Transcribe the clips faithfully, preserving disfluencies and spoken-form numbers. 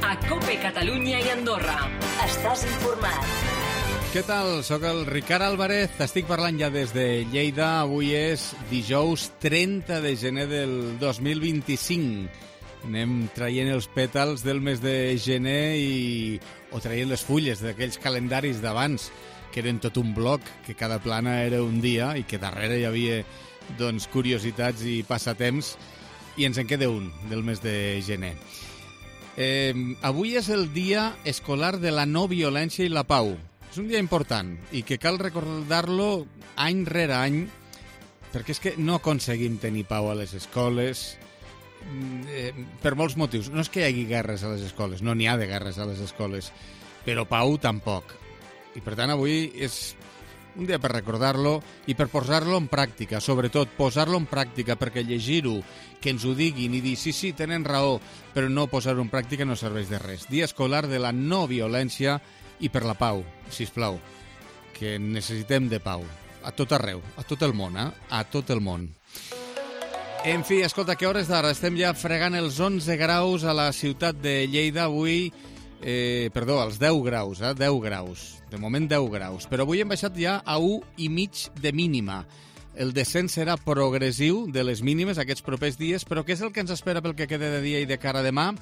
a COPE Catalunya i Andorra. Estàs informat. Què tal? Soc el Ricard Álvarez, t'estic parlant ja des de Lleida. Avui és dijous trenta de gener del dos mil vint-i-cinc. Anem traient els pètals del mes de gener i... o traient les fulles d'aquells calendaris d'abans, que eren tot un bloc, que cada plana era un dia i que darrere hi havia doncs, curiositats i passatemps, i ens en queda un del mes de gener. Eh, avui és el dia escolar de la no violència i la pau. És un dia important i que cal recordar-lo any rere any, perquè és que no aconseguim tenir pau a les escoles eh, per molts motius. No és que hi hagi guerres a les escoles, no n'hi ha de guerres a les escoles, però pau tampoc. I per tant avui és un dia per recordar-lo i per posar-lo en pràctica, sobretot posar-lo en pràctica, perquè llegir-ho, que ens ho diguin i dir sí, sí, tenen raó, però no posar-ho en pràctica no serveix de res. Dia escolar de la no violència i per la pau, sisplau, que necessitem de pau, a tot arreu, a tot el món, eh? A tot el món. En fi, escolta, que hores d'ara? Estem ja fregant els onze graus a la ciutat de Lleida, avui, eh, perdó, als deu graus, eh? deu graus. De moment deu graus, però avui hem baixat ja a un i mig de mínima. El descens serà progressiu de les mínimes aquests propers dies, però què és el que ens espera pel que queda de dia i de cara a demà?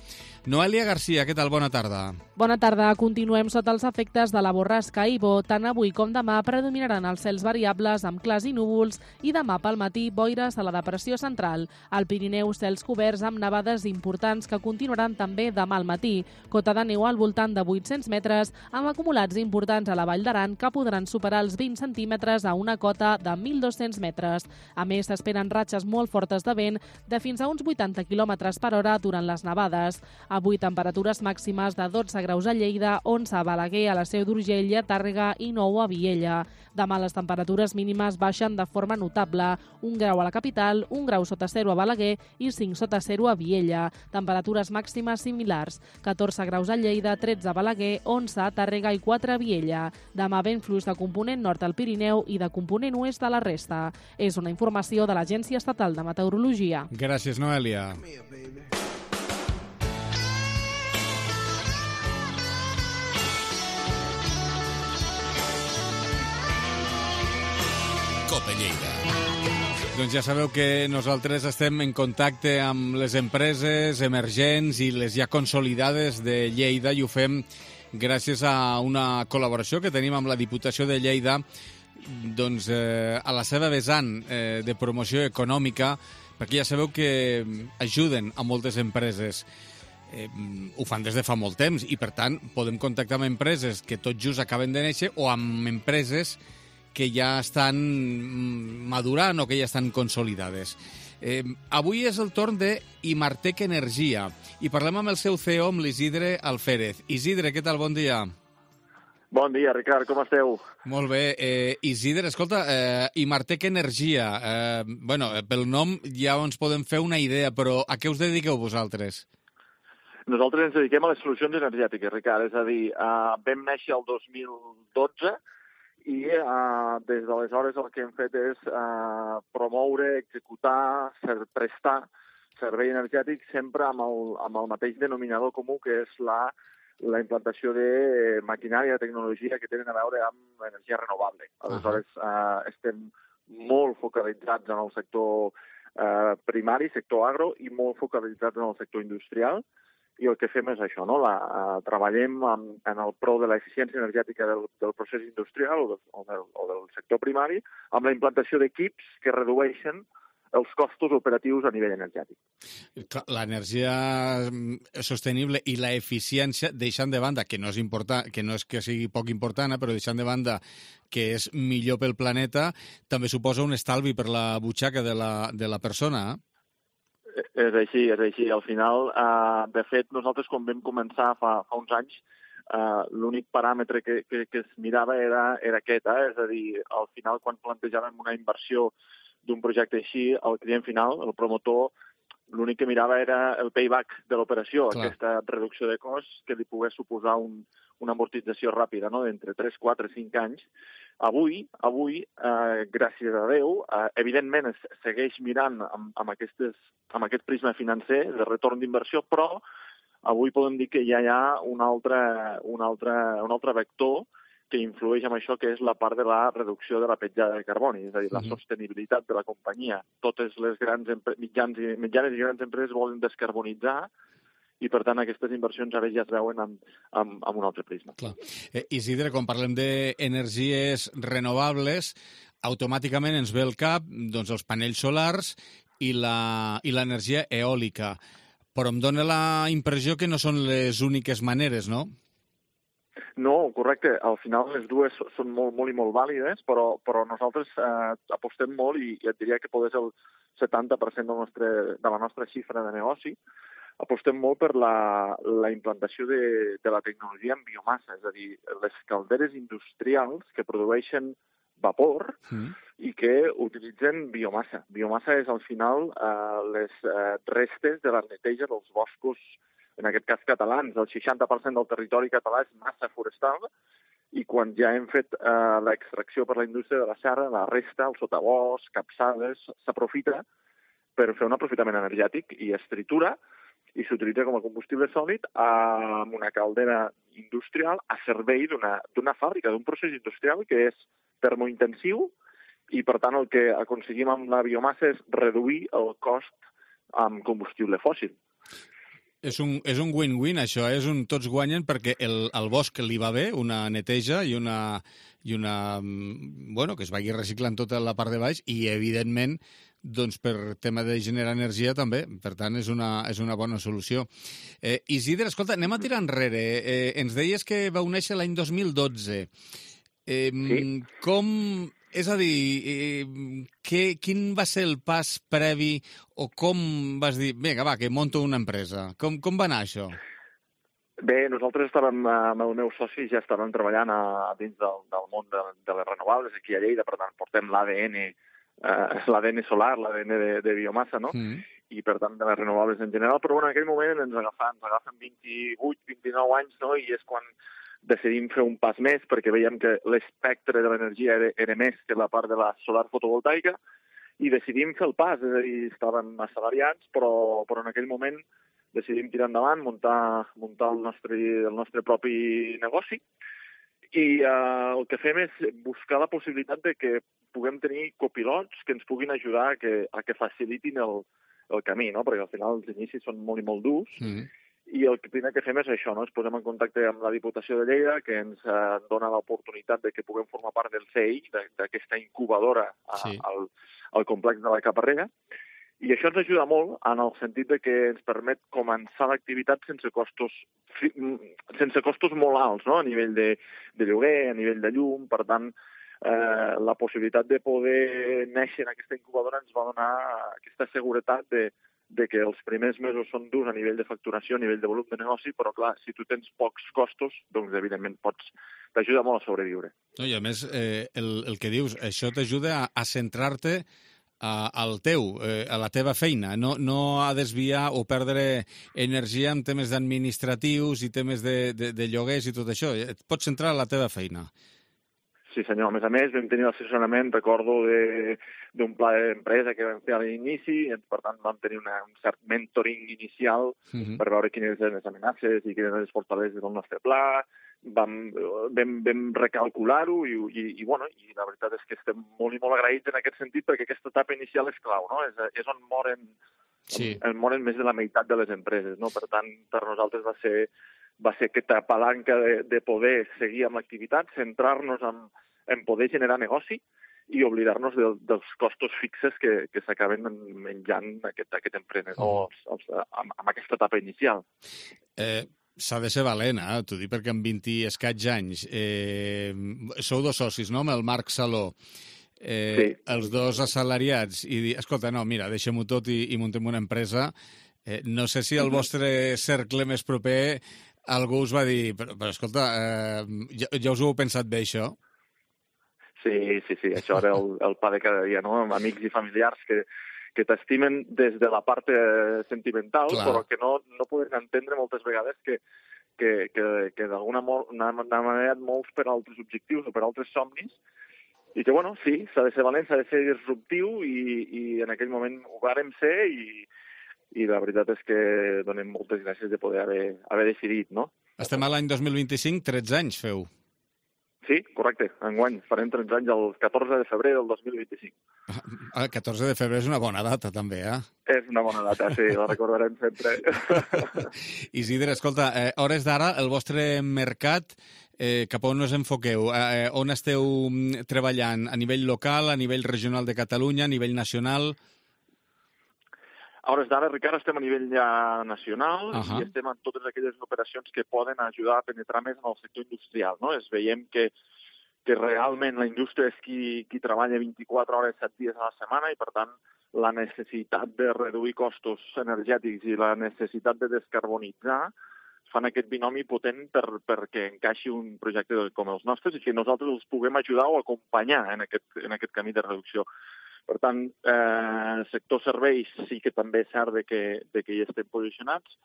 Noelia Garcia, què tal? Bona tarda. Bona tarda. Continuem sota els efectes de la borrasca Ivo. Tant avui com demà predominaran els cels variables amb clars i núvols i demà pel matí boires a la depressió central. Al Pirineu, cels coberts amb nevades importants que continuaran també demà al matí. Cota de neu al voltant de vuit-cents metres amb acumulats importants a la Vall d'Aran que podran superar els vint centímetres a una cota de mil dos-cents metres. A més, s'esperen ratxes molt fortes de vent de fins a uns vuitanta quilòmetres per hora durant les nevades. Avui temperatures màximes de dotze graus a Lleida, onze a Balaguer, a la Seu d'Urgell i a Tàrrega i nou a Viella. Demà les temperatures mínimes baixen de forma notable. Un grau a la capital, un grau sota zero a Balaguer i cinc sota zero a Viella. Temperatures màximes similars. catorze graus a Lleida, tretze a Balaguer, onze a Tàrrega i quatre a Viella. Demà vent fluix de component nord al Pirineu i de component oest a la resta. És una informació de l'Agència Estatal de Meteorologia. Gràcies, Noelia. COPE Lleida. Doncs ja sabeu que nosaltres estem en contacte amb les empreses emergents i les ja consolidades de Lleida i ho fem gràcies a una col·laboració que tenim amb la Diputació de Lleida, doncs eh, a la seva vessant eh, de promoció econòmica, perquè ja sabeu que ajuden a moltes empreses. Eh, ho fan des de fa molt temps i per tant podem contactar amb empreses que tot just acaben de néixer o amb empreses que ja estan madurant o que ja estan consolidades. Eh, avui és el torn de Imartec Energia i parlem amb el seu C E O, amb l'Isidre Alférez. Isidre, què tal? Bon dia. Bon dia, Ricard, com esteu? Molt bé. Eh, Isidre, escolta, eh, Imartec Energia, eh, bueno, pel nom ja ens podem fer una idea, però a què us dediqueu vosaltres? Nosaltres ens dediquem a les solucions energètiques, Ricard, és a dir, eh, vam néixer el dos mil dotze i eh, des d'aleshores el que hem fet és eh, promoure, executar, ser, prestar servei energètic sempre amb el, amb el mateix denominador comú, que és la, la implantació de maquinària i tecnologia que tenen a veure amb l'energia renovable. Aleshores, eh, estem molt focalitzats en el sector eh, primari, sector agro, i molt focalitzats en el sector industrial, i el que fem és això, no? La, uh, treballem en, en el pro de l'eficiència energètica del, del procés industrial o, de, o, del, o del sector primari, amb la implantació d'equips que redueixen els costos operatius a nivell energètic. L'energia sostenible i la eficiència, deixant de banda, que no és important, que no és que sigui poc important, però deixant de banda que és millor pel planeta, també suposa un estalvi per la butxaca de la, de la persona, eh? És així, és així. Al final, eh, de fet, nosaltres quan vam començar fa, fa uns anys, eh, l'únic paràmetre que, que, que es mirava era, era aquest, eh? És a dir, al final, quan plantejàvem una inversió d'un projecte així, el client final, el promotor, l'únic que mirava era el payback de l'operació, Clar. Aquesta reducció de cost que li pogués suposar un, una amortització ràpida, no?, d'entre tres, quatre, cinc anys. Avui, avui eh, gràcies a Déu, eh, evidentment es segueix mirant amb, amb, aquestes, amb aquest prisma financer de retorn d'inversió, però avui podem dir que ja hi ha un altre, un altre, un altre vector que influeix en això, que és la part de la reducció de la petjada de carboni, és a dir, la sostenibilitat de la companyia. Totes les grans mitjans i, mitjanes i grans empreses volen descarbonitzar i, per tant, aquestes inversions ara ja es veuen amb, amb, amb un altre prisma. Clar. Eh, Isidre, quan parlem d'energies renovables, automàticament ens ve al cap doncs, els panells solars i l'energia eòlica. Però em dóna la impressió que no són les úniques maneres, no? No, correcte. Al final les dues són molt, molt i molt vàlides, però, però nosaltres eh, apostem molt i, i et diria que podés el setanta per cent del nostre, de la nostra xifra de negoci. Apostem molt per la, la implantació de, de la tecnologia en biomassa, és a dir, les calderes industrials que produeixen vapor mm. i que utilitzen biomassa. Biomassa és, al final, eh, les eh, restes de la neteja dels boscos, en aquest cas catalans. El seixanta per cent del territori català és massa forestal i quan ja hem fet eh, l'extracció per la indústria de la serra, la resta, el sotabosc, capçades, s'aprofita per fer un aprofitament energètic i es tritura i s'utilitza com a combustible sòlid amb una caldera industrial a servei d'una fàbrica, d'un procés industrial que és termointensiu i, per tant, el que aconseguim amb la biomassa és reduir el cost amb combustible fòssil. És un, és un win-win, això, és un tots guanyen perquè el, el bosc li va bé, una neteja i una, i una... bueno, que es vagi reciclant tota la part de baix i, evidentment, doncs per tema de generar energia també. Per tant, és una, és una bona solució. Eh, Isidre, escolta, anem a tirar enrere. Eh, ens deies que vau néixer l'any dos mil dotze. Eh, sí. Com... És a dir, eh, que, quin va ser el pas previ o com vas dir, vinga, va, que monto una empresa? Com, com va anar això? Bé, nosaltres estàvem, amb el meu soci, ja estàvem treballant a, dins del, del món de, de les renovables aquí a Lleida, per tant, portem l'A D N, eh, l'A D N solar, l'A D N de, de biomassa, no? Mm. I, per tant, de les renovables en general, però bueno, en aquell moment ens agafen, ens agafen vint-i-vuit, vint-i-nou anys, no? I és quan decidim fer un pas més perquè veiem que l'espectre de l'energia era, era més que la part de la solar fotovoltaica i decidim fer el pas, és a dir, estàvem assalariats, però, però en aquell moment decidim tirar endavant, muntar, muntar el, nostre, el nostre propi negoci i eh, el que fem és buscar la possibilitat de que puguem tenir copilots que ens puguin ajudar a que, a que facilitin el, el camí, no? Perquè al final els inicis són molt i molt durs. Mm. I el primer que fem és això, no? Ens posem en contacte amb la Diputació de Lleida, que ens eh, dona l'oportunitat de que puguem formar part del C E I, d'aquesta incubadora a, sí. al, al complex de la Caparrega. I això ens ajuda molt en el sentit de que ens permet començar l'activitat sense costos sense costos molt alts, no? A nivell de, de lloguer, a nivell de llum. Per tant, eh, la possibilitat de poder néixer en aquesta incubadora ens va donar aquesta seguretat de de que els primers mesos són durs a nivell de facturació, a nivell de volum de negoci, però clar, si tu tens pocs costos, doncs evidentment pots, t'ajuda molt a sobreviure. No, I a més, eh, el, el que dius, això t'ajuda a, a centrar-te al teu, eh, a la teva feina, no, no a desviar o perdre energia en temes administratius i temes de, de, de lloguers i tot això. Et pots centrar a la teva feina. Sí, senyor. A més a més, vam tenir l'assessorament, recordo, d'un pla d'empresa que vam fer a l'inici, i per tant vam tenir una, un cert mentoring inicial uh-huh. per veure quines eren les amenaces i quines eren les fortaleses del nostre pla. Vam, vam, vam recalcular-ho i, i, i, bueno, i la veritat és que estem molt i molt agraïts en aquest sentit perquè aquesta etapa inicial és clau, no? És, és on moren, sí. on moren més de la meitat de les empreses, no? Per tant, per nosaltres va ser, va ser aquesta palanca de, de poder seguir amb l'activitat, centrar-nos en en poder generar negoci i oblidar-nos de, dels costos fixes que, que s'acaben menjant aquest, aquest emprenedor mm. els, amb, amb aquesta etapa inicial. Eh, s'ha de ser valent, eh? T'ho dic perquè amb vint i escaig anys eh, sou dos socis, no?, amb el Marc Saló. Eh, sí. Els dos assalariats i dir, escolta, no, mira, deixem-ho tot i, i muntem una empresa. Eh, no sé si al vostre cercle més proper algú us va dir, però, però escolta, eh, ja, ja us ho heu pensat bé, això? Sí, sí, sí, això era el, el pa de cada dia, no? Amb amics i familiars que, que t'estimen des de la part sentimental, clar, però que no, no poden entendre moltes vegades que, que, que, que d'alguna manera et mous per altres objectius o per altres somnis, i que, bueno, sí, s'ha de ser valent, s'ha de ser disruptiu, i, i en aquell moment ho vàrem ser, i, i la veritat és que donem moltes gràcies de poder haver, haver decidit, no? Estem a l'any dos mil vint-i-cinc, tretze anys feu. Sí, correcte, enguany. Farem tretze anys el catorze de febrer del dos mil vint-i-cinc. El catorze de febrer és una bona data, també, eh? És una bona data, sí, la recordarem sempre. Isidre, escolta, eh, hores d'ara, el vostre mercat, eh, cap a on us enfoqueu? Eh, on esteu treballant? A nivell local, a nivell regional de Catalunya, a nivell nacional? A hores d'ara, Ricard, estem a nivell ja nacional uh -huh. i estem en totes aquelles operacions que poden ajudar a penetrar més en el sector industrial, no? Es veiem que, que realment la indústria és qui, qui treballa vint-i-quatre hores, set dies a la setmana i, per tant, la necessitat de reduir costos energètics i la necessitat de descarbonitzar fan aquest binomi potent per, perquè encaixi un projecte com els nostres i que nosaltres els puguem ajudar o acompanyar en aquest, en aquest camí de reducció. Per tant, eh, sector serveis sí que també és cert de que, de que hi estem posicionats,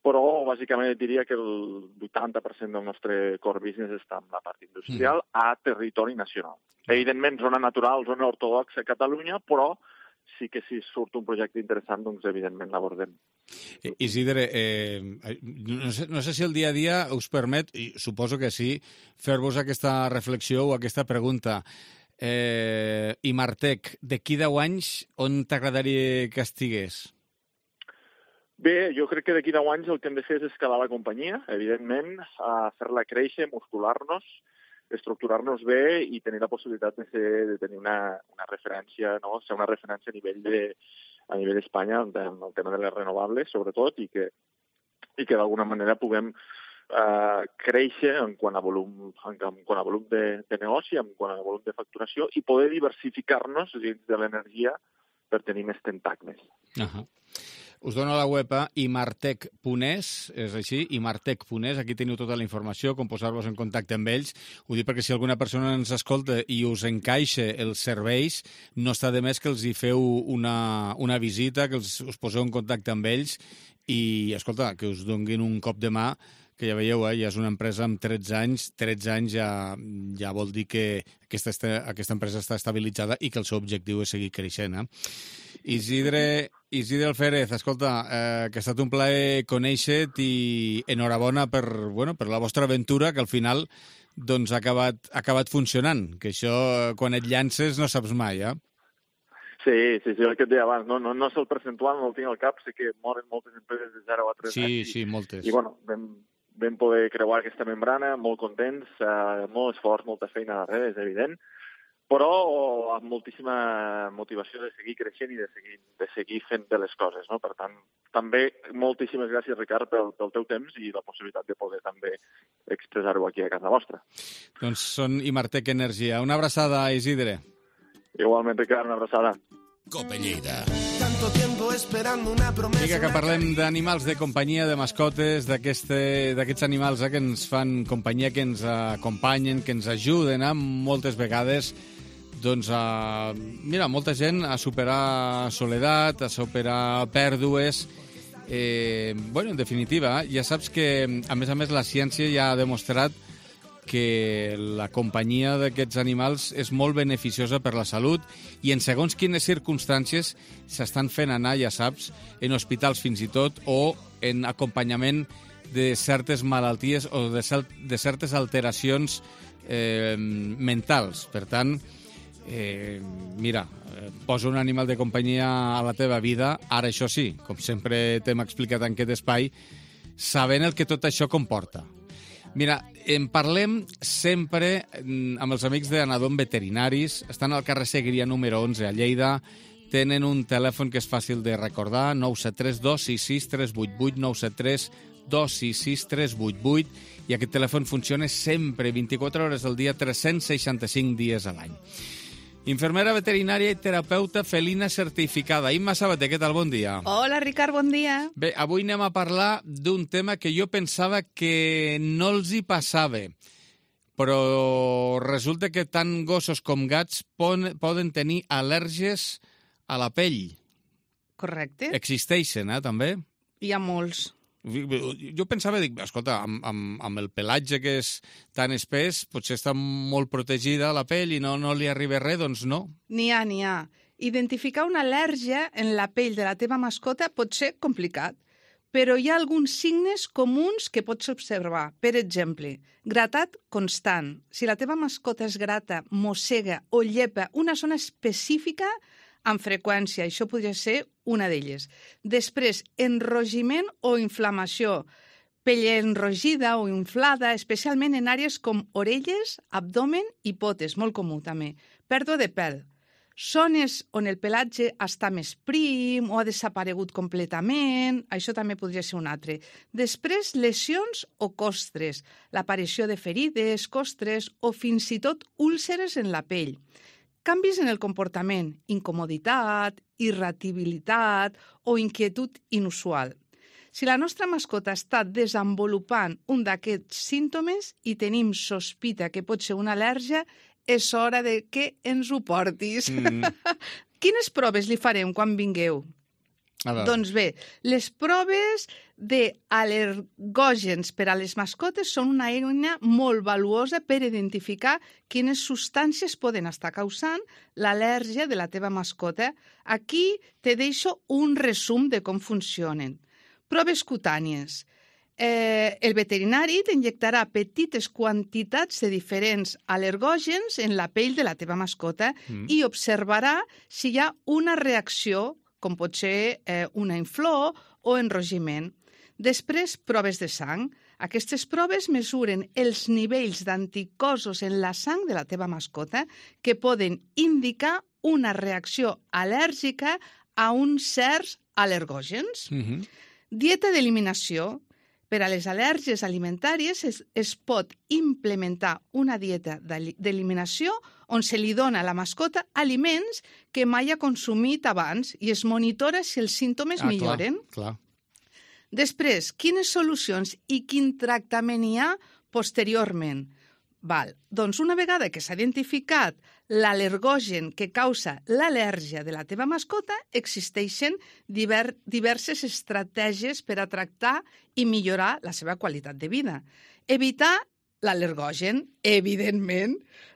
però bàsicament diria que el vuitanta per cent del nostre core business està en la part industrial mm. a territori nacional. Evidentment, zona natural, zona ortodoxa a Catalunya, però sí que si surt un projecte interessant, doncs evidentment l'abordem. Isidre, eh, no, sé, no sé si el dia a dia us permet, i suposo que sí, fer-vos aquesta reflexió o aquesta pregunta. Eh, Imartec, d'aquí deu anys, on t'agradaria que estigués? Bé, jo crec que d'aquí deu anys el que hem de fer és escalar la companyia, evidentment, a fer-la créixer, muscular-nos, estructurar-nos bé i tenir la possibilitat de, ser, de tenir una, una referència, no? Ser una referència a nivell de, a nivell d'Espanya en el tema de les renovables, sobretot, i que, i que d'alguna manera puguem Uh, créixer en quant a volum, en, en quant a volum de, de negoci, en quant a volum de facturació i poder diversificar-nos dins de l'energia per tenir més tentacles. Uh -huh. Us dono la web a imartec punt es, és així, imartec punt es, aquí teniu tota la informació, com posar-vos en contacte amb ells. Ho dic perquè si alguna persona ens escolta i us encaixa els serveis, no està de més que els hi feu una, una visita, que els, us poseu en contacte amb ells i, escolta, que us donguin un cop de mà, que ja veieu, eh, ja és una empresa amb tretze anys, tretze anys ja, ja vol dir que aquesta, aquesta empresa està estabilitzada i que el seu objectiu és seguir creixent. Eh? Isidre, Isidre Alférez, escolta, eh, que ha estat un plaer conèixer-te i enhorabona per, bueno, per la vostra aventura, que al final doncs, ha, acabat, ha acabat funcionant, que això quan et llances no saps mai, eh? Sí, sí, sí, el que et deia abans, no, no, no sé el percentual, no el tinc al cap, sé que moren moltes empreses de zero a tres sí, anys. Sí, sí, moltes. I, bueno, vam, vam poder creuar aquesta membrana, molt contents, eh, molt esforç, molta feina darrere, és evident, però amb moltíssima motivació de seguir creixent i de seguir, de seguir fent bé les coses, no? Per tant, també moltíssimes gràcies, Ricard, pel, pel teu temps i la possibilitat de poder també expressar-ho aquí a casa vostra. Doncs són Imartec Energia. Una abraçada, Isidre. Igualment, Ricard, una abraçada. Cope Lleida. Vinga, que parlem d'animals de companyia, de mascotes, d'aquests animals eh, que ens fan companyia, que ens acompanyen, que ens ajuden eh, moltes vegades doncs, a, mira, molta gent a superar soledat, a superar pèrdues. Eh, bueno, en definitiva, eh, ja saps que, a més a més, la ciència ja ha demostrat que la companyia d'aquests animals és molt beneficiosa per la salut i en segons quines circumstàncies s'estan fent anar, ja saps, en hospitals fins i tot o en acompanyament de certes malalties o de, de certes alteracions eh, mentals. Per tant, eh, mira, posa un animal de companyia a la teva vida, ara això sí, com sempre t'hem explicat en aquest espai, sabent el que tot això comporta. Mira, en parlem sempre amb els amics d'Anadom Veterinaris. Estan al carrer Segrià número onze a Lleida. Tenen un telèfon que és fàcil de recordar, nou set tres dos sis sis tres vuit vuit, nou set tres dos sis sis tres vuit vuit, i aquest telèfon funciona sempre, vint-i-quatre hores al dia, tres-cents seixanta-cinc dies a l'any. Infermera veterinària i terapeuta felina certificada. Imma Sabater, què tal? Bon dia. Hola, Ricard, bon dia. Bé, avui anem a parlar d'un tema que jo pensava que no els hi passava, però resulta que tant gossos com gats poden tenir al·lèrgies a la pell. Correcte. Existeixen, eh, també? Hi ha molts. Jo pensava, dic, escolta, amb, amb, amb el pelatge que és tan espès, potser està molt protegida la pell i no, no li arriba res, doncs no. N'hi ha, n'hi ha. Identificar una al·lèrgia en la pell de la teva mascota pot ser complicat, però hi ha alguns signes comuns que pots observar. Per exemple, gratat constant. Si la teva mascota es grata, mossega o llepa una zona específica amb freqüència, això podria ser una d'elles. Després, enrogiment o inflamació. Pell enrogida o inflada, especialment en àrees com orelles, abdomen i potes, molt comú també. Pèrdua de pèl. Zones on el pelatge està més prim o ha desaparegut completament, això també podria ser un altre. Després, lesions o costres, l'aparició de ferides, costres o fins i tot úlceres en la pell. Canvis en el comportament, incomoditat, irritabilitat o inquietud inusual. Si la nostra mascota està desenvolupant un d'aquests símptomes i tenim sospita que pot ser una al·lèrgia, és hora de que ens ho portis. Mm. Quines proves li farem quan vingueu? Doncs bé, les proves d'al·lergògens per a les mascotes són una eina molt valuosa per identificar quines substàncies poden estar causant l'al·lèrgia de la teva mascota. Aquí te deixo un resum de com funcionen. Proves cutànies. Eh, el veterinari t'injectarà petites quantitats de diferents al·lergògens en la pell de la teva mascota mm. i observarà si hi ha una reacció, com pot ser eh, una inflor o enrogiment. Després, proves de sang. Aquestes proves mesuren els nivells d'anticossos en la sang de la teva mascota que poden indicar una reacció al·lèrgica a uns certs al·lergògens. Mm-hmm. Dieta d'eliminació. Per a les al·lèrgies alimentàries es, es pot implementar una dieta d'eliminació on se li dona a la mascota aliments que mai ha consumit abans i es monitora si els símptomes ah, milloren. Clar, clar. Després, quines solucions i quin tractament hi ha posteriorment? Val. Doncs una vegada que s'ha identificat l'al·lergògen que causa l'al·lèrgia de la teva mascota, existeixen diver, diverses estratègies per a tractar i millorar la seva qualitat de vida. Evitar l'al·lergògen, evidentment.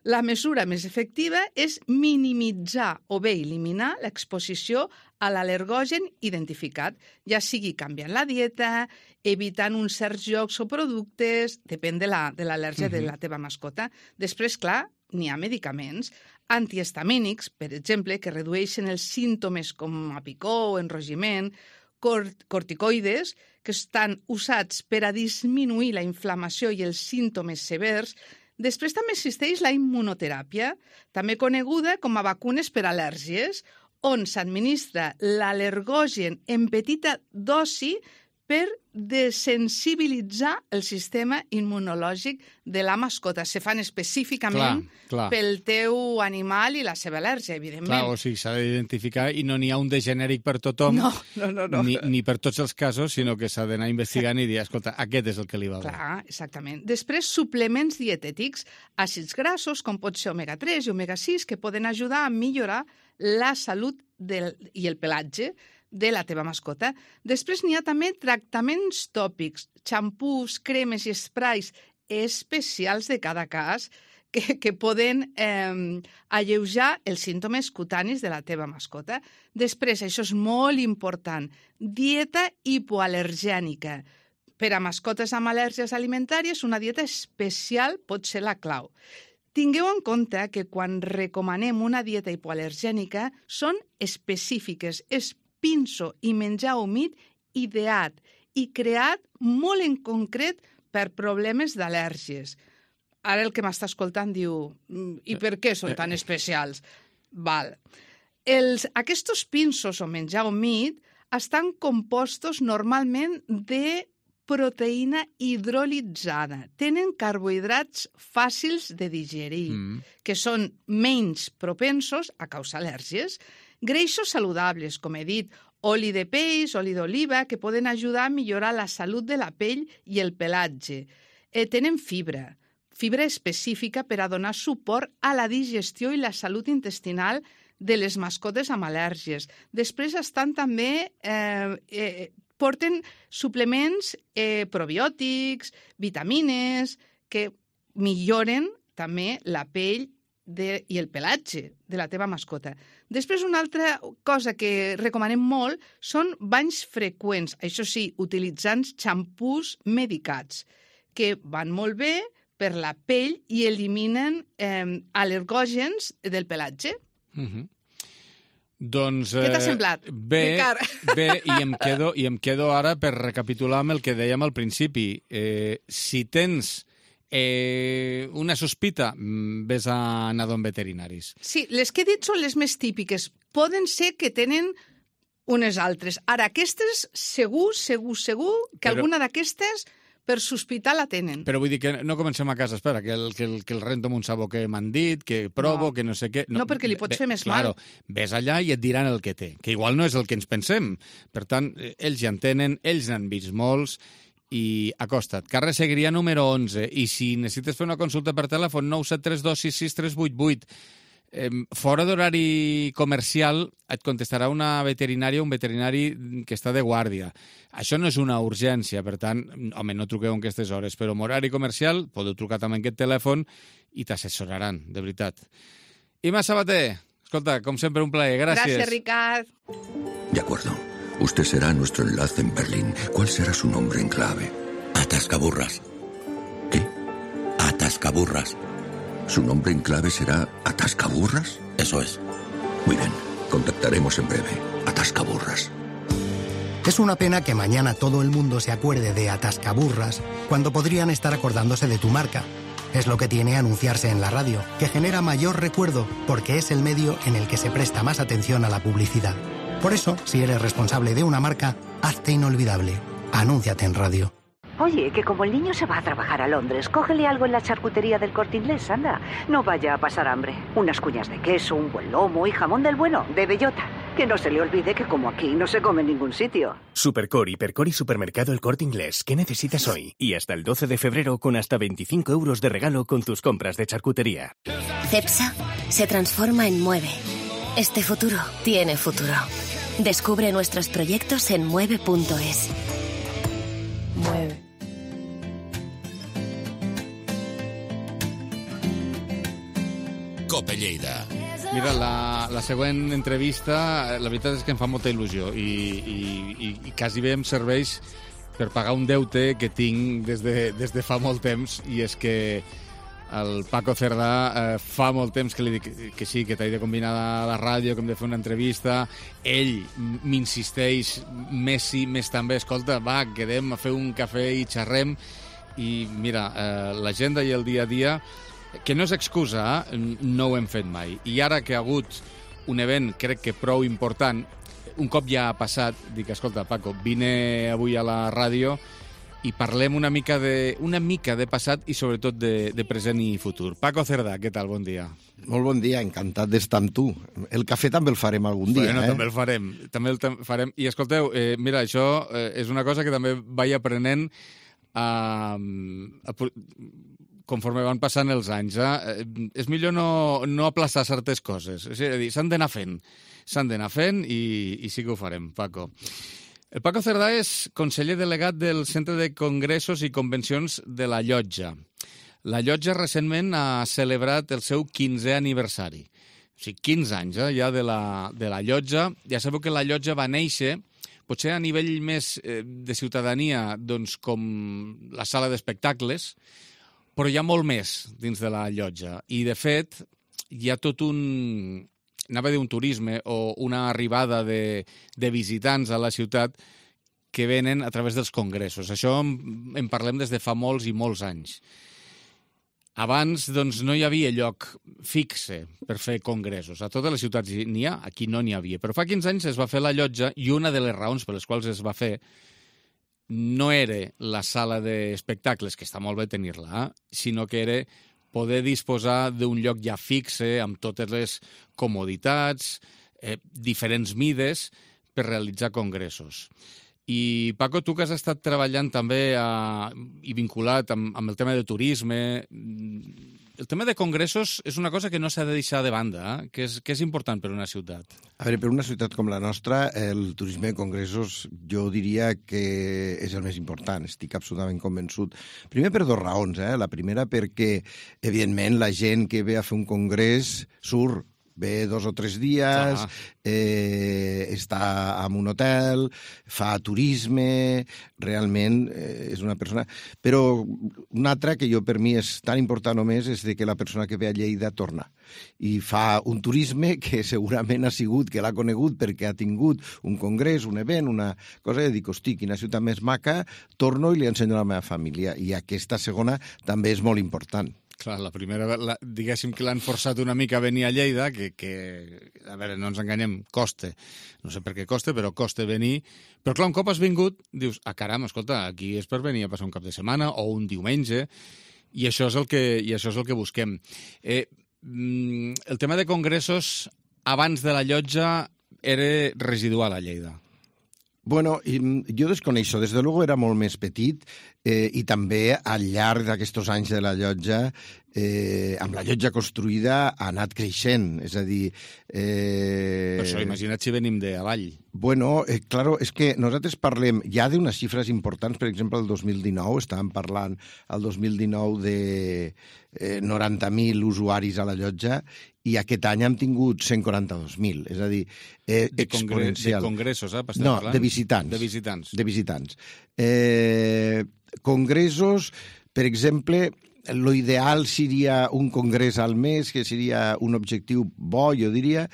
La mesura més efectiva és minimitzar o bé eliminar l'exposició a l'al·lergògen identificat, ja sigui canviant la dieta, evitant uns certs jocs o productes, depèn de l'al·lèrgia de, uh-huh. de la teva mascota. Després, clar, n'hi ha medicaments antihistamínics, per exemple, que redueixen els símptomes com a picor o enrogiment, cort corticoides, que estan usats per a disminuir la inflamació i els símptomes severs. Després també existeix la immunoteràpia, també coneguda com a vacunes per al·lèrgies, on s'administra l'al·lergògen en petita dosi per desensibilitzar el sistema immunològic de la mascota. Se fan específicament clar, clar. pel teu animal i la seva al·lèrgia, evidentment. Clar, o sigui, s'ha d'identificar i no n'hi ha un de genèric per tothom, no, no, no, no. Ni, ni per tots els casos, sinó que s'ha d'anar investigant i dir, escolta, aquest és el que li va bé. Clar, exactament. Després, suplements dietètics, àcids grassos, com pot ser omega tres i omega sis, que poden ajudar a millorar la salut del, i el pelatge de la teva mascota. Després n'hi ha també tractaments tòpics, xampús, cremes i esprais especials de cada cas que, que poden eh, alleujar els símptomes cutanis de la teva mascota. Després, això és molt important, dieta hipoal·lergènica. Per a mascotes amb al·lèrgies alimentàries, una dieta especial pot ser la clau. Tingueu en compte que quan recomanem una dieta hipoal·lergènica són específiques, és pinso i menjar humit ideat i creat molt en concret per problemes d'al·lèrgies. Ara el que m'està escoltant diu, i per què són tan especials? Val. Els, aquests pinsos o menjar humit estan compostos normalment de proteïna hidrolitzada. Tenen carbohidrats fàcils de digerir, mm. que són menys propensos a causar al·lèrgies. Greixos saludables, com he dit, oli de peix, oli d'oliva, que poden ajudar a millorar la salut de la pell i el pelatge. Eh, tenen fibra, fibra específica per a donar suport a la digestió i la salut intestinal de les mascotes amb al·lèrgies. Després estan també... Eh, eh, porten suplements eh, probiòtics, vitamines, que milloren també la pell de, i el pelatge de la teva mascota. Després, una altra cosa que recomanem molt són banys freqüents, això sí, utilitzant xampús medicats, que van molt bé per la pell i eliminen eh, al·lergògens del pelatge. Uh-huh. Doncs... Què t'ha semblat, bé, Ricard? Bé, i em, quedo, i em quedo ara per recapitular amb el que dèiem al principi. Eh, si tens eh, una sospita, ves a anar a veterinaris. Sí, les que he dit són les més típiques. Poden ser que tenen unes altres. Ara, aquestes, segur, segur, segur, que Però... alguna d'aquestes per sospitar la tenen. Però vull dir que no comencem a casa, espera, que el, que el, que el rento amb un sabó que m'han dit, que provo, No. que no sé què... No, perquè li pots Bé, fer més claro, mal. Ves allà i et diran el que té, que igual no és el que ens pensem. Per tant, ells ja en tenen, ells n'han vist molts, i acosta't. Carrer Segrià número onze, i si necessites fer una consulta per telèfon, nou set tres dos sis sis tres vuit vuit. Eh, fora d'horari comercial et contestarà una veterinària o un veterinari que està de guàrdia. Això no és una urgència, per tant, home, no truqueu en aquestes hores, però en horari comercial podeu trucar també en aquest telèfon i t'assessoraran, de veritat. Ima Sabater, escolta, com sempre un plaer, gràcies. Gràcies, Ricard. De acuerdo. Usted será nuestro enlace en Berlín. ¿Cuál será su nombre en clave? Atascaburras. ¿Qué? Atascaburras. ¿Su nombre en clave será Atascaburras? Eso es. Muy bien. Contactaremos en breve. Atascaburras. Es una pena que mañana todo el mundo se acuerde de Atascaburras cuando podrían estar acordándose de tu marca. Es lo que tiene anunciarse en la radio, que genera mayor recuerdo porque es el medio en el que se presta más atención a la publicidad. Por eso, si eres responsable de una marca, hazte inolvidable. Anúnciate en radio. Oye, que como el niño se va a trabajar a Londres, cógele algo en la charcutería del Corte Inglés, anda. No vaya a pasar hambre. Unas cuñas de queso, un buen lomo y jamón del bueno, de bellota. Que no se le olvide que como aquí no se come en ningún sitio. Supercor, Hipercor y Supermercado El Corte Inglés. ¿Qué necesitas hoy? Y hasta el doce de febrero con hasta veinticinco euros de regalo con tus compras de charcutería. Cepsa se transforma en Mueve. Este futuro tiene futuro. Descubre nuestros proyectos en mueve punto es. Mueve. Cope Lleida. Mira, la, la següent entrevista, la veritat és que em fa molta il·lusió i, i, i, i quasi bé em serveix per pagar un deute que tinc des de, des de fa molt temps, i és que el Paco Cerdà eh, fa molt temps que li dic que sí, que t'he de combinar a la ràdio, que hem de fer una entrevista. Ell m'insisteix, més sí, més també, escolta, va, quedem a fer un cafè i xerrem. I mira, eh, l'agenda i el dia a dia, que no és excusa, no ho hem fet mai. I ara que ha hagut un event, crec que prou important, un cop ja ha passat, dic, escolta, Paco, vine avui a la ràdio i parlem una mica de, una mica de passat i sobretot de, de present i futur. Paco Cerdà, què tal? Bon dia. Molt bon dia, encantat d'estar amb tu. El cafè també el farem algun dia, bueno, eh? També el farem, també el farem. I escolteu, eh, mira, això eh, és una cosa que també vaig aprenent a, a, conforme van passant els anys. Eh? És millor no, no aplaçar certes coses. És a dir, s'han d'anar fent. S'han d'anar fent i, i sí que ho farem, Paco. El Paco Cerdà és conseller delegat del Centre de Congressos i Convencions de la Llotja. La Llotja recentment ha celebrat el seu quinzè aniversari. O sigui, quinze anys eh, ja de la, de la Llotja. Ja sabeu que la Llotja va néixer, potser a nivell més eh, de ciutadania, doncs com la sala d'espectacles, però hi ha molt més dins de la Llotja. I, de fet, hi ha tot un... anava a dir un turisme o una arribada de, de visitants a la ciutat que venen a través dels congressos. Això en, en parlem des de fa molts i molts anys. Abans doncs, no hi havia lloc fixe per fer congressos. A totes les ciutats n'hi ha, aquí no n'hi havia. Però fa quinze anys es va fer la Llotja i una de les raons per les quals es va fer no era la sala d'espectacles, que està molt bé tenir-la, eh? sinó que era poder disposar d'un lloc ja fixe, amb totes les comoditats, eh, diferents mides, per realitzar congressos. I, Paco, tu que has estat treballant també a, i vinculat amb, amb el tema de turisme, el tema de congressos és una cosa que no s'ha de deixar de banda, eh? que, és, que és important per una ciutat. A veure, per una ciutat com la nostra, el turisme de congressos jo diria que és el més important, estic absolutament convençut. Primer per dues raons, eh? La primera perquè, evidentment, la gent que ve a fer un congrés surt, ve dos o tres dies, eh, està en un hotel, fa turisme, realment eh, és una persona... Però una altra que jo per mi és tan important només és de que la persona que ve a Lleida torna i fa un turisme que segurament ha sigut, que l'ha conegut perquè ha tingut un congrés, un event, una cosa, i dic, hosti, quina ciutat més maca, torno i li ensenyo a la meva família. I aquesta segona també és molt important. Clar, la primera, la, diguéssim que l'han forçat una mica a venir a Lleida, que, que, a veure, no ens enganyem, costa. No sé per què costa, però costa venir. Però clar, un cop has vingut, dius, ah, caram, escolta, aquí és per venir a passar un cap de setmana o un diumenge, i això és el que, i això és el que busquem. Eh, el tema de congressos, abans de la llotja, era residual a Lleida. Bueno, jo desconeixo. Des de luego era molt més petit eh, i també al llarg d'aquests anys de la llotja, eh, amb la llotja construïda, ha anat creixent. És a dir... Eh... Per això, imagina't si venim de avall. Bueno, eh, claro, és que nosaltres parlem ja d'unes xifres importants. Per exemple, el dos mil dinou, estàvem parlant el dos mil dinou de eh, noranta mil usuaris a la llotja, i aquest any hem tingut cent quaranta-dos mil, és a dir, eh, de exponencial. De congressos, eh? No, parlant? de visitants. De visitants. De visitants. Eh, congressos, per exemple, lo ideal seria un congrés al mes, que seria un objectiu bo, jo diria,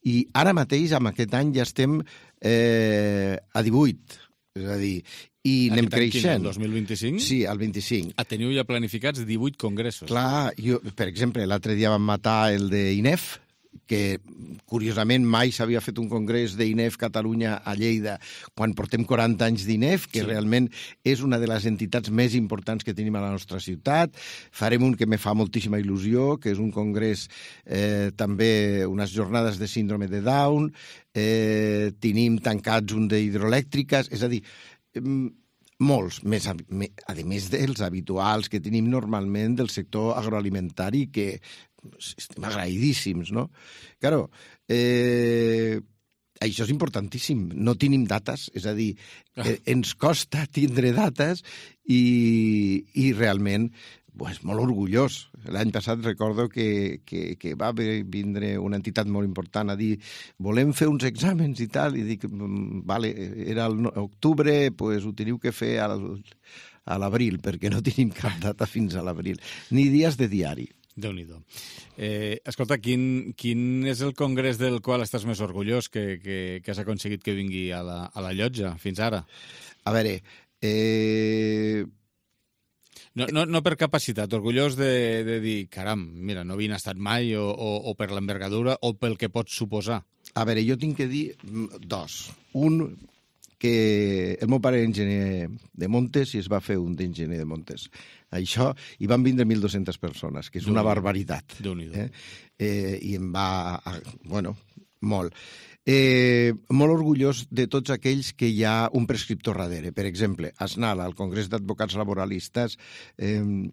i ara mateix, amb aquest any, ja estem eh, a divuit, és a dir, i anem creixent. El dos mil vint-i-cinc? Sí, el vint-i-cinc. Ah, teniu ja planificats divuit congressos. Clar, jo, per exemple, l'altre dia vam matar el d'I N E F, que curiosament mai s'havia fet un congrés d'I N E F Catalunya a Lleida quan portem quaranta anys d'I N E F, que sí. Realment és una de les entitats més importants que tenim a la nostra ciutat. Farem un que me fa moltíssima il·lusió, que és un congrés, eh, també unes jornades de síndrome de Down, eh, tenim tancats un d'hidroelèctriques, és a dir, molts, més a, a més dels habituals que tenim normalment del sector agroalimentari, que estem agraïdíssims, no? Claro, eh, això és importantíssim. No tenim dates, és a dir, eh, ens costa tindre dates i, i realment pues, molt orgullós. L'any passat recordo que, que, que va vindre una entitat molt important a dir volem fer uns exàmens i tal, i dic, vale, era l'octubre, pues, ho teniu que fer al, a l'abril, perquè no tenim cap data fins a l'abril, ni dies de diari. Déu-n'hi-do. Eh, escolta, quin, quin és el congrés del qual estàs més orgullós que, que, que has aconseguit que vingui a la, a la llotja fins ara? A veure, eh... No, no, no per capacitat, orgullós de, de dir, caram, mira, no havien estat mai, o, o, o per l'envergadura, o pel que pot suposar. A veure, jo tinc que dir dos. Un, que el meu pare era enginyer de Montes i es va fer un d'enginyer de Montes. Això, i van vindre mil dues-centes persones, que és una barbaritat. Déu-n'hi-do. Eh? Eh, I em va... Bueno, molt. Eh, molt orgullós de tots aquells que hi ha un prescriptor darrere. Per exemple, a Snal, al Congrés d'Advocats Laboralistes, eh,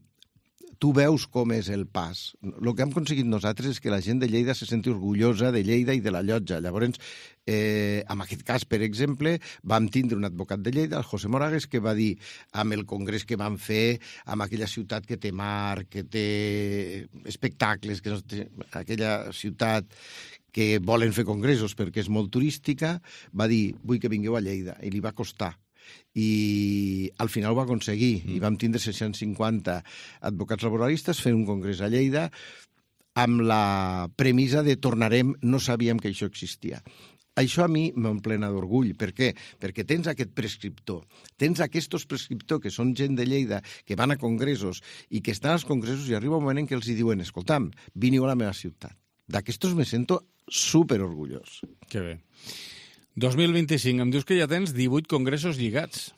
tu veus com és el pas. El que hem aconseguit nosaltres és que la gent de Lleida se senti orgullosa de Lleida i de la llotja. Llavors, eh, en aquest cas, per exemple, vam tindre un advocat de Lleida, el José Moragues, que va dir, amb el congrés que vam fer, amb aquella ciutat que té mar, que té espectacles, que no té... aquella ciutat que volen fer congressos perquè és molt turística, va dir, vull que vingueu a Lleida, i li va costar. I al final ho va aconseguir, mm. i vam tindre sis-cents cinquanta advocats laboralistes fent un congrés a Lleida amb la premissa de tornarem, no sabíem que això existia. Això a mi m'emplena d'orgull. Per què? Perquè tens aquest prescriptor, tens aquests prescriptors que són gent de Lleida, que van a congressos i que estan als congressos i arriba un moment en què els diuen, escolta'm, veniu a la meva ciutat. D'aquestos me sento superorgullós. Que bé. dos mil vint-i-cinc, em dius que ja tens divuit congressos lligats.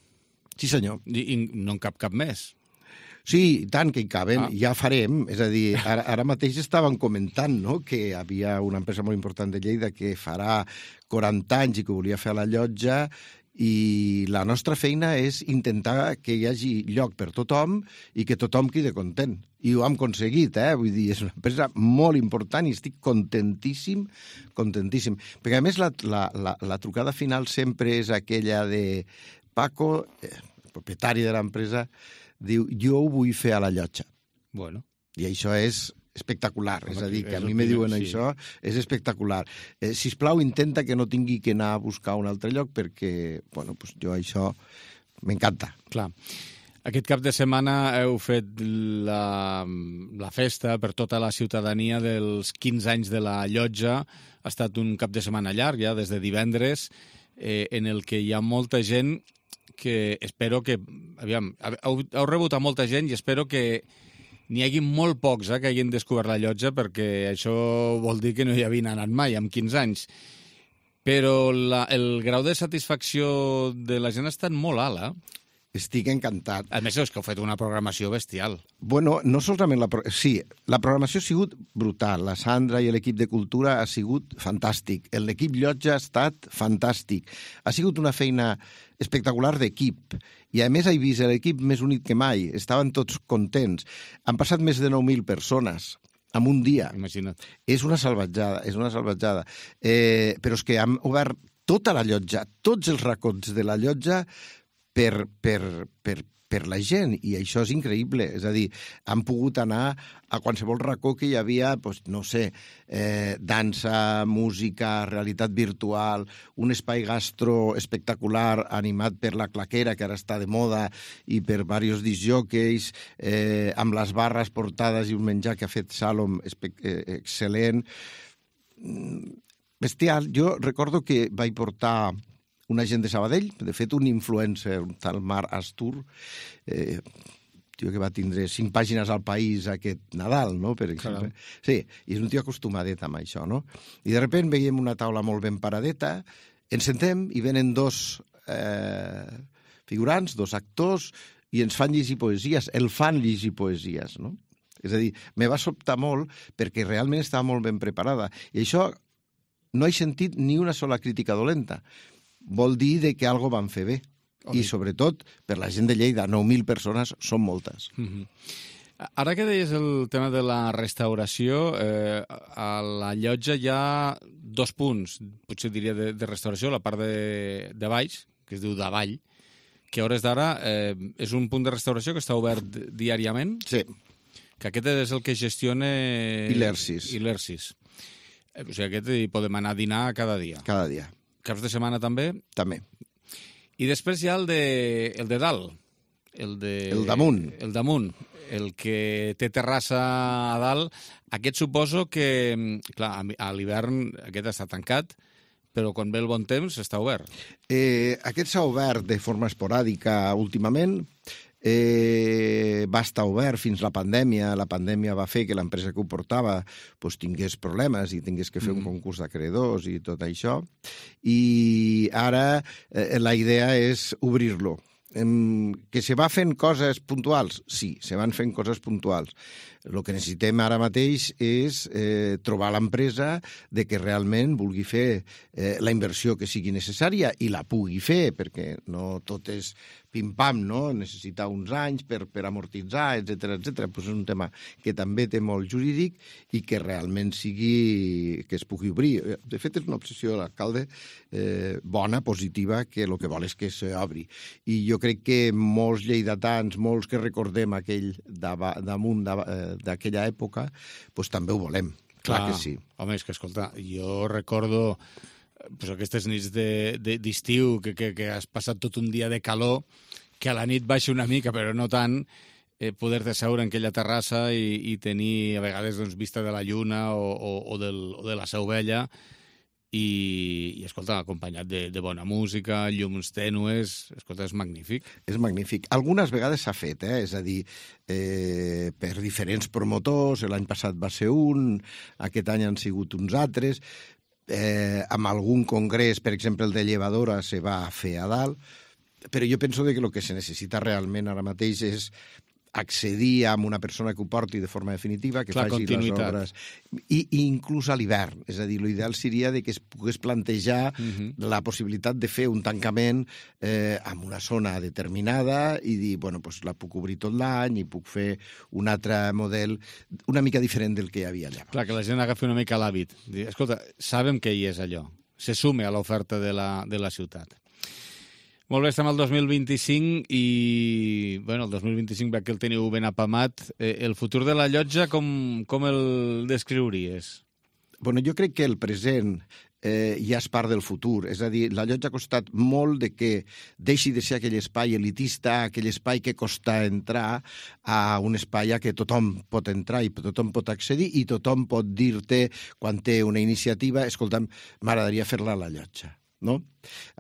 Sí, senyor. I, i no en cap cap més. Sí, tant que hi caben, ah. ja farem. És a dir, ara, ara mateix estaven comentant, no?, que hi havia una empresa molt important de Lleida que farà quaranta anys i que volia fer a la llotja i la nostra feina és intentar que hi hagi lloc per tothom i que tothom quedi content. I ho hem aconseguit, eh? Vull dir, és una empresa molt important i estic contentíssim, contentíssim. Perquè, a més, la, la, la, la trucada final sempre és aquella de Paco, eh, propietari de l'empresa, diu, jo ho vull fer a la llotja. Bueno. I això és espectacular, Home, és a dir, que a mi el me primer, diuen sí. això, és espectacular. Eh, sisplau, intenta que no tingui que anar a buscar un altre lloc perquè, bueno, pues jo això m'encanta. Clar. Aquest cap de setmana heu fet la, la festa per tota la ciutadania dels quinze anys de la llotja. Ha estat un cap de setmana llarg, ja, des de divendres, eh, en el que hi ha molta gent que espero que... Aviam, heu, heu rebut a molta gent i espero que n'hi hagi molt pocs eh, que hagin descobert la llotja, perquè això vol dir que no hi havien anat mai, amb quinze anys. Però la, el grau de satisfacció de la gent ha estat molt alt, eh? Estic encantat. A més, és que heu fet una programació bestial. Bueno, no solament la... Pro... Sí, la programació ha sigut brutal. La Sandra i l'equip de Cultura ha sigut fantàstic. L'equip Llotja ha estat fantàstic. Ha sigut una feina espectacular d'equip. I, a més, he vist l'equip més unit que mai. Estaven tots contents. Han passat més de nou mil persones en un dia. Imagina't. És una salvatjada, és una salvatjada. Eh, però és que han obert tota la llotja, tots els racons de la llotja per, per, per, per la gent, i això és increïble. És a dir, han pogut anar a qualsevol racó que hi havia, doncs, no sé, eh, dansa, música, realitat virtual, un espai gastro espectacular animat per la Claquera, que ara està de moda, i per diversos disjòqueis, eh, amb les barres portades i un menjar que ha fet Salom eh, excel·lent. Bestial. Jo recordo que vaig portar una gent de Sabadell, de fet un influencer, un tal Marc Astur, eh, tio que va tindre cinc pàgines al País aquest Nadal, no?, per exemple. Caram. Sí, i és un tio acostumadet amb això, no? I de sobte veiem una taula molt ben paradeta, ens sentem i venen dos eh, figurants, dos actors, i ens fan llegir poesies, el fan llegir poesies, no? És a dir, me va sobtar molt perquè realment estava molt ben preparada. I això no he sentit ni una sola crítica dolenta. Vol dir de que algo van fer bé. Okay. I, sobretot, per la gent de Lleida, nou mil persones són moltes. Mm-hmm. Ara que deies el tema de la restauració, eh, a la llotja hi ha dos punts, potser diria, de, de restauració, la part de, de baix, que es diu davall, que a hores d'ara eh, és un punt de restauració que està obert diàriament. Sí. Que aquest és el que gestiona... Ilersis. Ilersis. O sigui, aquest hi podem anar a dinar cada dia. Cada dia. Caps de setmana també? També. I després hi ha el de, el de dalt. El, de, el damunt. El damunt. El que té terrassa a dalt. Aquest suposo que, clar, a l'hivern aquest està tancat, però quan ve el bon temps està obert. Eh, aquest s'ha obert de forma esporàdica últimament. Eh, va estar obert fins la pandèmia. La pandèmia va fer que l'empresa que ho portava pues, tingués problemes i tingués que fer mm. un concurs d'acreedors i tot això. I ara eh, la idea és obrir-lo. Eh, que se va fent coses puntuals? Sí, se van fent coses puntuals. El que necessitem ara mateix és eh, trobar l'empresa de que realment vulgui fer eh, la inversió que sigui necessària i la pugui fer, perquè no tot és pim-pam, no? Necessita uns anys per, per amortitzar, etcètera, etcètera. Pues és un tema que també té molt jurídic i que realment sigui... que es pugui obrir. De fet, és una obsessió de l'alcalde eh, bona, positiva, que el que vol és que s'obri. I jo crec que molts lleidatans, molts que recordem aquell damunt d'aquella època, pues també ho volem. Clar, Clar que sí. Home, és que, escolta, jo recordo... pues aquestes nits d'estiu que, que, que has passat tot un dia de calor, que a la nit baixa una mica, però no tant, eh, poder-te seure en aquella terrassa i, i tenir a vegades doncs, vista de la lluna o, o, o, del, o de la Seu Vella i, i escolta, acompanyat de, de bona música, llums tènues, escolta, és magnífic. És magnífic. Algunes vegades s'ha fet, eh? És a dir, eh, per diferents promotors, l'any passat va ser un, aquest any han sigut uns altres. Eh, amb algun congrés, per exemple el de Llevadora, se va fer a dalt, però jo penso que el que se necessita realment ara mateix és accedir amb una persona que ho porti de forma definitiva, que la faci les obres, i, i inclús a l'hivern. És a dir, l'ideal seria de que es pogués plantejar uh-huh. la possibilitat de fer un tancament eh, en una zona determinada i dir, bueno, pues la puc obrir tot l'any i puc fer un altre model una mica diferent del que hi havia allà. Clar, que la gent agafi una mica l'hàbit. Escolta, sabem què hi és allò. Se sume a l'oferta de la, de la ciutat. Molt bé, estem al dos mil vint-i-cinc i, bueno, el dos mil vint-i-cinc, veig que el teniu ben apamat. Eh, el futur de la llotja, com, com el descriuries? Bueno, jo crec que el present eh, ja és part del futur. És a dir, la llotja ha costat molt de que deixi de ser aquell espai elitista, aquell espai que costa entrar, a un espai a què tothom pot entrar i tothom pot accedir i tothom pot dir-te, quan té una iniciativa, escolta'm, m'agradaria fer-la a la llotja. No?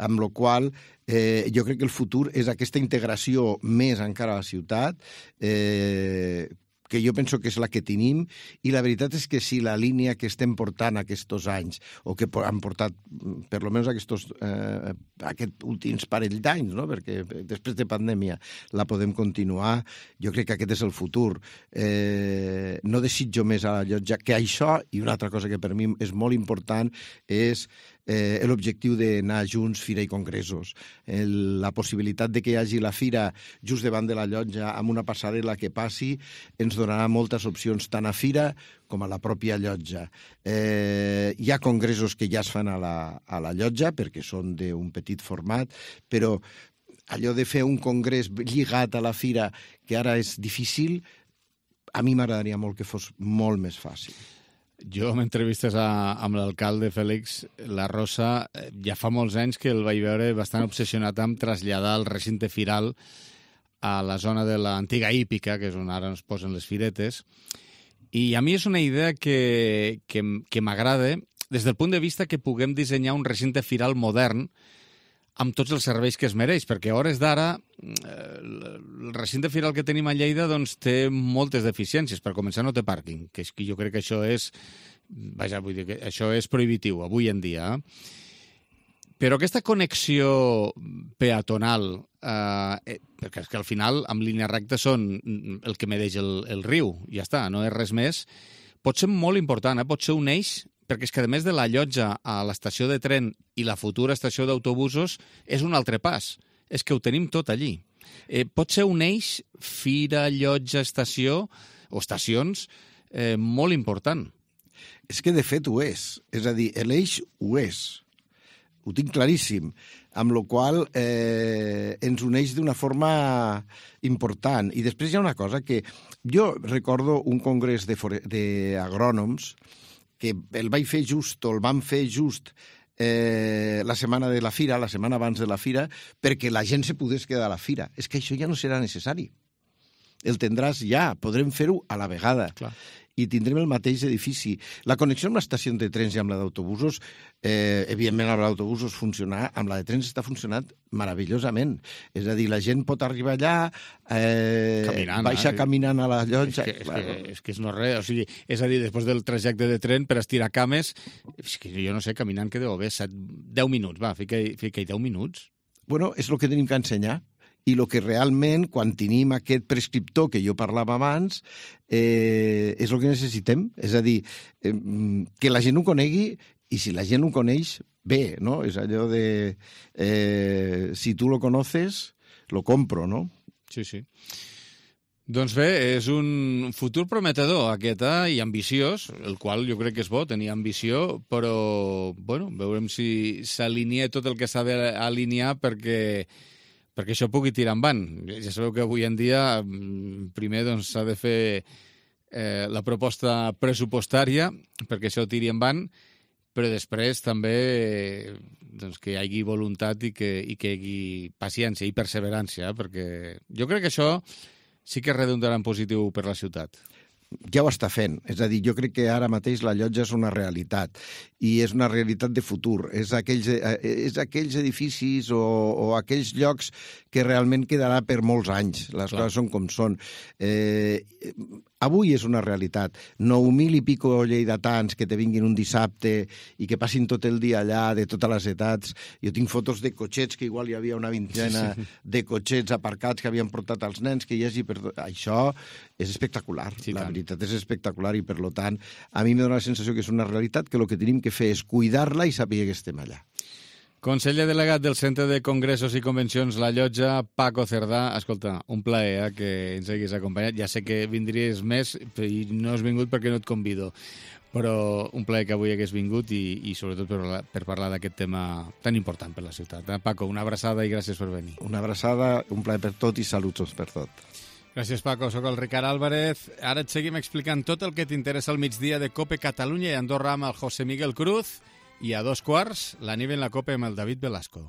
Amb la qual eh, jo crec que el futur és aquesta integració més encara a la ciutat, eh, que jo penso que és la que tenim, i la veritat és que si la línia que estem portant aquests anys, o que han portat per almenys aquests, eh, aquest últims parell d'anys, no? Perquè després de pandèmia la podem continuar, jo crec que aquest és el futur. Eh, no desitjo més a la llotja que això, i una altra cosa que per mi és molt important és eh, l'objectiu d'anar junts fira i congressos. El, la possibilitat de que hi hagi la fira just davant de la llotja amb una passarel·la que passi ens donarà moltes opcions tant a fira com a la pròpia llotja. Eh, hi ha congressos que ja es fan a la, a la llotja perquè són d'un petit format, però allò de fer un congrés lligat a la fira, que ara és difícil, a mi m'agradaria molt que fos molt més fàcil. Jo, en entrevistes a, amb l'alcalde Fèlix La Rosa, ja fa molts anys que el vaig veure bastant obsessionat amb traslladar el recinte firal a la zona de l'antiga hípica, que és on ara ens posen les firetes. I a mi és una idea que, que, que m'agrada des del punt de vista que puguem dissenyar un recinte firal modern amb tots els serveis que es mereix, perquè a hores d'ara el recinte firal que tenim a Lleida doncs, té moltes deficiències. Per començar, no té pàrquing, que, és que jo crec que això és, vaja, vull dir que això és prohibitiu avui en dia. Però aquesta connexió peatonal, eh, perquè és que al final, amb línia recta, són el que medeix el, el riu, ja està, no és res més, pot ser molt important, eh? Pot ser un eix, perquè és que a més de la llotja a l'estació de tren i la futura estació d'autobusos és un altre pas, és que ho tenim tot allí. Eh, pot ser un eix, fira, llotja, estació o estacions eh, molt important. És que de fet ho és, és a dir, l'eix ho és, ho tinc claríssim, amb la qual eh, ens uneix d'una forma important. I després hi ha una cosa que jo recordo un congrés d'agrònoms que el vaig fer just, o el vam fer just eh, la setmana de la fira, la setmana abans de la fira, perquè la gent se pogués quedar a la fira. És que això ja no serà necessari. El tindràs ja, podrem fer-ho a la vegada. Clar. I tindrem el mateix edifici. La connexió amb l'estació de trens i amb la d'autobusos, eh, evidentment amb l'autobús funciona, amb la de trens està funcionant meravellosament. És a dir, la gent pot arribar allà, eh, caminant, baixa eh? caminant a la llotja. És que, és, que, és que és no res, o sigui, és a dir, després del trajecte de tren per estirar cames, és que jo no sé, caminant que deu haver set, deu minuts, va, fica-hi fica deu minuts. Bueno, és el que tenim que ensenyar. I el que realment, quan tenim aquest prescriptor que jo parlava abans, eh, és el que necessitem. És a dir, eh, que la gent ho conegui, i si la gent ho coneix, bé, no? És allò de, eh, si tu lo conoces, lo compro, no? Sí, sí. Doncs bé, és un futur prometedor aquest, eh? I ambiciós, el qual jo crec que és bo, tenir ambició, però, bueno, veurem si s'alinea tot el que s'ha d'alinear perquè perquè això pugui tirar endavant. Ja sabeu que avui en dia primer doncs, s'ha de fer eh, la proposta pressupostària perquè això tiri endavant, però després també doncs, que hi hagi voluntat i que, i que hi hagi paciència i perseverància, perquè jo crec que això sí que redundarà en positiu per la ciutat. ja ho està fent. És a dir, jo crec que ara mateix la llotja és una realitat i és una realitat de futur. És aquells, és aquells edificis o, o aquells llocs que realment quedarà per molts anys. Les Clar. Coses són com són. Eh, avui és una realitat. nou mil i pico lleidatans que te vinguin un dissabte i que passin tot el dia allà, de totes les edats. Jo tinc fotos de cotxets, que igual hi havia una vintena sí, sí. de cotxets aparcats que havien portat els nens, que hi hagi... Per... Això és espectacular. Sí, la veritat és espectacular i, per tant, a mi em dóna la sensació que és una realitat que el que tenim que fer és cuidar-la i saber que estem allà. Conseller delegat del Centre de Congressos i Convencions La Llotja, Paco Cerdà. Escolta, un plaer eh, que ens haguis acompanyat. Ja sé que vindries més i no has vingut perquè no et convido, però un plaer que avui hagués vingut i, i sobretot per, per parlar d'aquest tema tan important per la ciutat. Eh? Paco, una abraçada i gràcies per venir. Una abraçada, un plaer per tot i saluts per tot. Gràcies, Paco. Soc el Ricard Álvarez. Ara et seguim explicant tot el que t'interessa al migdia de COPE Catalunya i Andorra amb el José Miguel Cruz. I a dos quarts, la nit en la COPE amb el David Velasco.